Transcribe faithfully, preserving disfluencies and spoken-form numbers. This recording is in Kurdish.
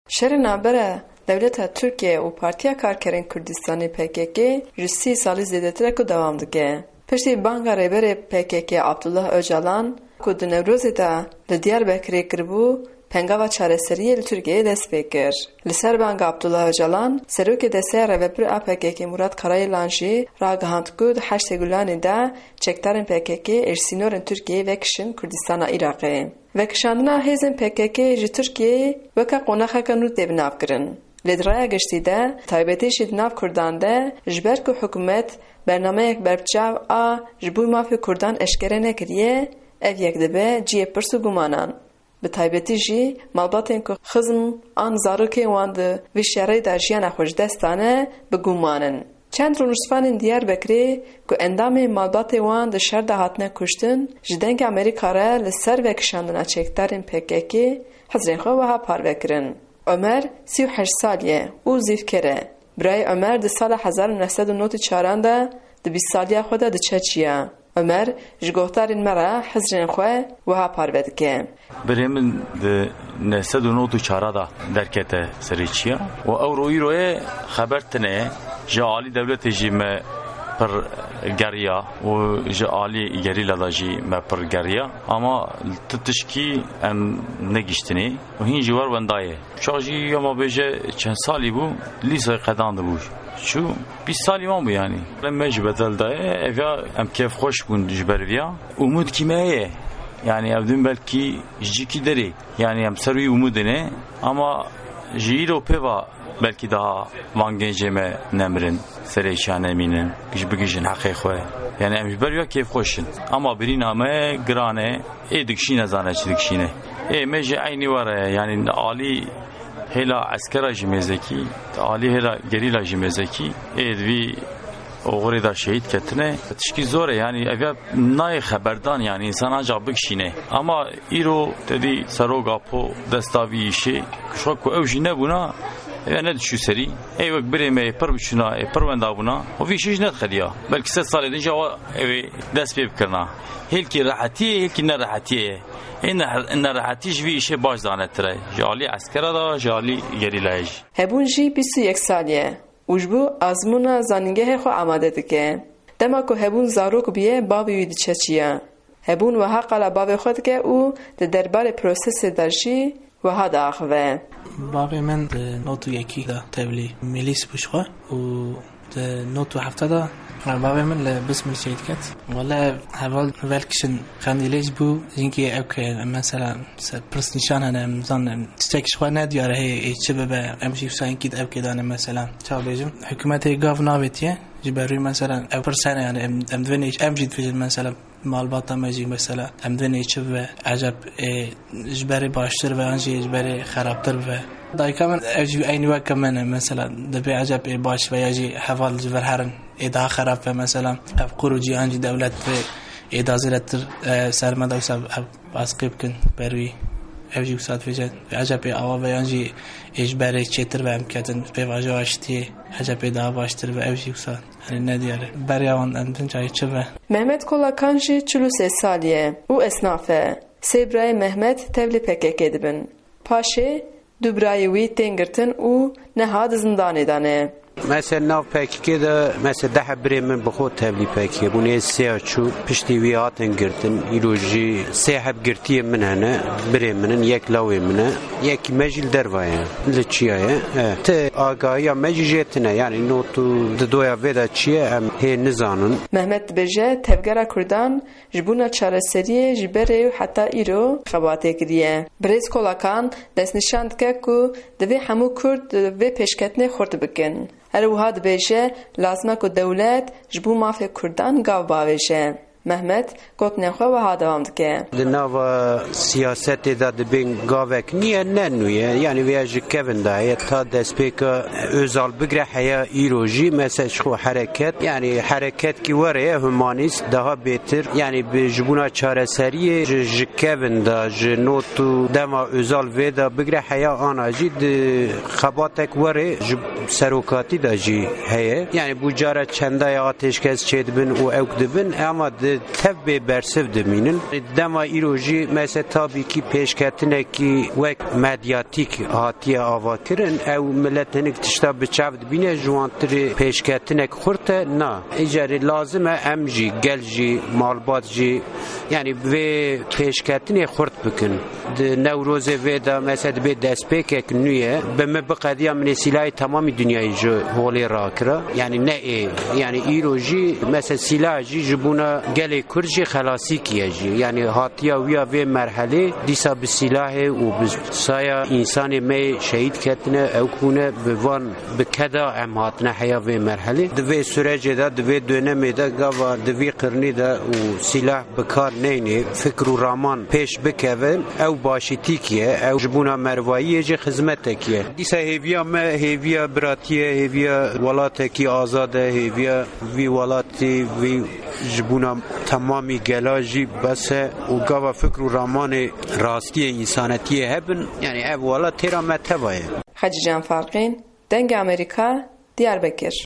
Şerê navbera dewleta Tirkiye û Partiya Karkerên Kurdistanê P K K ji sî salî zêdetir e ku dewam dike. Piştî banga rêberê P K K Abdullah Ocalan ku di Newrozê de li Diyarbekirê kiribû, pengava çareseriyê li Tirkiyeyê dest pê kir. Li ser banga Abdullah Ocalan, serokê desteya rêvebir a P K K Murat Karayilan jî ragihand ku di heştê Gulanê de çekdarên P K K êr sînorên Tirkiyeyê vekişin Kurdistana Iraqê. Vekişandina hêzên P K K ji Tirkiyeyê weke qonaxeke nû tê binavkirin. Lê di raya giştî de, taybetî jî di nav Kurdan de, ji ber ku hikûmet bernameyek berbiçav a ji bo mafê Kurdan eşkere nekiriye, ev yek dibe cihê pirs û gumanan. Bi taybetî jî malbatên ku xizm an zarokên wan di vî şerê de jiyana xwe ji dest dane, bi guman in. Çend rûniştvanên Diyarbekirê ku endamên malbatê wan di şer de hatine kuştin, ji Dengê Amerîka re li ser vekişandina çekdarên P K K hizrên xwe wiha parve kirin. Omer sî û heşt salî ye û zîvker e. Birayê Omer di sala hezar û neh sed û nod û çaran de di bîst saliya xwe de diçe çiya. Omer ji guhdarên me re hizrên xwe wiha parve dike. Birê min di neh sed û nod û çar de derkete serê çiya û ewro îro ye xeber tune ye. Ji alî dewletê jî me pir geriya û ji alî gerîla de jî me pir geriya. Ama tu tişkî em negiştinê û hîn jî wer wenda ye. Çax jî ya ma bêje çend salî bû, lîsayê qedandibû. Çû bîst salî wan bû yanî. Me jî bedel daye, ev ya em kêfxweş bûn ji ber viya. Umûdkî me heye. Yanî ev din belkî ji cîkî derê. Yanî em ser wî umûdê ne. Ama ji îro pê va belkî daha van gencê me nemirin. Serê çiya nemînin. Ji bigihîjin heqê xwe. Yanî em ji ber ya kêfxweş in. Ama birîna me giran e. Ê dikişîne zane çi dikişîne. Ê me jî eynî were, yanî alî hêla eskera jî mêzekî, alî hêla gerîla jî mêzekî, ê di vî oxirê de şehîd ketine. Tişkî zor e, yanî ev ya nayê xeberdan, yanî însan ancaq bikişîne. Ama îro te dî serok Apo desta vî îşê, kuşxa ku ew jî nebûna, ev ya nediçû serî. Ê wek birê me ê pir biçûna, ê pir wenda bûna, û vî îşê jî nedixeliya. Belkî sed salê din jî awa ew ê dest pê bikirina. Hêlkî rehetiyê, hêlkî nerehetiyê ye. Ê ne-, nerehetî ji vî îşê baş zanetir e. Ji alî eskera de, ji alî gerîlayê jî. Hebûn jî bîst û yek salî ye û ji bo azmûna zanîngehê xwe amade dike. Dema ku Hebûn zarok bûye, bavê wî diçe çiya. Hebûn wiha qala bavê xwe dike û di derbarê prosesê de jî wiha diaxive. Bavê min di nod û yekî de tevlî milîs bû ji xwe û di nod û hefta de bavê min li Bismil şehîd ket. Wele heval vekişin Qendîlê jî bû, jinkî ew ke mesela se-, pirs nîşan hene, em zanin, em tiştek ji xwe nediyar e, hê ê çi bibe, em jî wisa jinkî di ew kê de ne mesela. Çawa bêjim? Hikûmetê gav navêtiye, ji ber wî mesela ew pirs hene, yani em, em divê nê-, em jî dibêjin mesela malbata me jî mesela em divê nê çi bibe, eceb ê ji berê baştir be yan jî ji berê xerabtir bibe. Dayika min ev jî eynî weke min e, mesela dibê eceb ê baş be ya jî heval ji vir herin, ê daha xerab be mesela. Ev qur û cîhan jî dewlet divê ê daha zêdetir, e, ser me de wisa ev baskî bikin ber wî. Ev jî wisa dibêje eceb ê awa be yan jî ê ji berê çêtir be em ketin pêvajoya aştiyê, eceb ê daha baştir be, ev jî wisa. Hani ne diyar e. Beriya wan em din cayê çi be? Mehmet Kolakan jî çil û sê salî ye û esnaf e. Sê birayê Mehmet tevlî P K K dibin. Paşê du birayê wî tên girtin û niha di zindanê de ne. Mesela nav P K K de mesela deh heb birê min bi xwe tevlî P K K bûn. Ê sê ya çû piştî wî hatin girtin. Îro jî sê heb girtiyê min hene. Birê min in, yek lawê min e. Yekî me jî li derva ye. Li çiya ye. E, ti agahiya me jî jê tine. Yani not û didoya vê de çi ye em hê nizanin. Mehmet dibêje tevgera Kurdan ji bona çareseriyê ji berê û heta îro xebatê kiriye. Birêz Kolakan destnîşan dike ku divê hemû Kurd vê pêşketinê xurt bikin. Her wiha dibêje lazim e ku dewlet ji bo mafê Kurdan gav bavêje. Mehmet gotinên xwe wiha dewam dike. Di nava siyasetê de dibên gavek niye, ne nû ye. Yanî vêya ji kevin de heye ta destpêka Özal bigre heya îro jî mesela ji xwe hereket, yanî hereketkî were ye, humanîst, daha bêtir, yanî bi ji bona çareseriyê ji, ji kevin de, ji not û dema Özal vê de bigre heya ana jî di xebatek were ji serokatî de jî heye. Yanî bû cara çendaya atêşkes çêdibin û ewk dibin, ama di Tev bê bersiv dimînin. Dema îro jî mesela tabî kî pêşketinekî wek medyatîk hatiye avakirin, ew milet hinik tişta bi çav dibîne, ji wan tirê pêşketinek xurt e. Na, îcarê lazim e em jî, gel jî, malbat jî, yanî vê pêşketinê xurt bikin. Di Newrozê vê de mesela dibê destpêkek nû ye, bi min biqediya min ê sîlahê temamî dinyayê ji holê rakira. Yanî ne ê, yanî îro jî mesela sîlah jî ji bona gelê Kurd jî xelasîkî ye jî. Yanî hatiya wî ya vê merhelê dîsa bi sîlahê û bi saya însanê me yê şehîd ketine, ew bûne, bi van bi keda em hatine heya vê merhelê. Di vê sürecê de, di vê dönemê de gava di vî qirnî de û sîlah bi kar neyne, fikr û raman pêş bikevin, ew başîtîk ye, ew ji bona mervayiyê jî xizmetek ye. Dîsa hêviya me, hêviya biratî ye, hêviya welatekî azad e, hêviya vî welatî, vî ji bona temamî gela jî bes e û gava fikr û ramanê rastiyê însanetiyê hebin, yanî ev welat têra me teva ye. Hacî Can Farqîn, Dengê Amerîka, Diyarbekir.